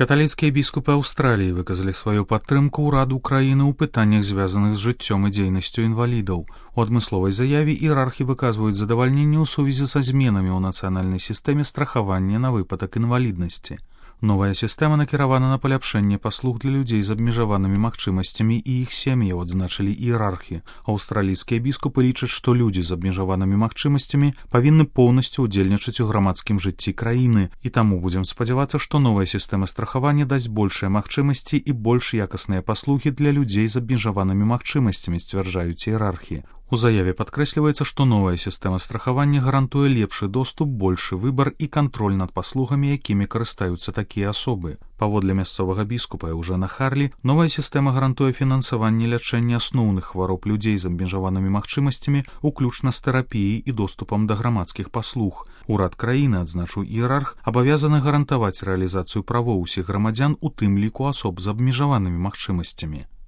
Каталіцкія біскупы Аўстраліі выказалі сваю падтрымку ўраду краіны ў пытаннях, звязаных з жыццём і дзейнасцю інвалідаў. У адмысловай заяве іерархі выказваюць задавальненне ў сувязі са зменамі ў нацыянальнай сістэме страхавання на выпадак інваліднасці. Новая сістэма накіравана на паляпшэнне паслуг для людзей з абмежаванымі магчымасцямі і іх сем'яў, адзначылі іерархі. Аўстралійскія біскупы лічаць, што людзі з абмежаванымі магчымасцямі павінны поўнасцю ўдзельнічаць у грамадскім жыцці краіны, і таму будзем спадзявацца, што новая сістэма страхавання дасць большыя магчымасці і больш якасныя паслугі для людзей з абмежаванымі магчымасцямі, сцвярджаюць іерархі. У заяве падкрэсліваецца, што новая сістэма страхавання гарантуе лепшы доступ, большы выбар і кантроль над паслугамі, якімі карыстаюцца такія асобы. Паводле мясцовага біскупа Эўжэна Харлі, новая сістэма гарантуе фінансаванне лячэння асноўных хвароб людзей з абмежаванымі магчымасцямі, уключна з тэрапіяй і доступам да грамадскіх паслуг. Урад краіны, адзначыў іерарх, абавязаны гарантаваць рэалізацыю правоў усіх грамадзян, у тым ліку асоб з абмежаванымі магчымасцямі.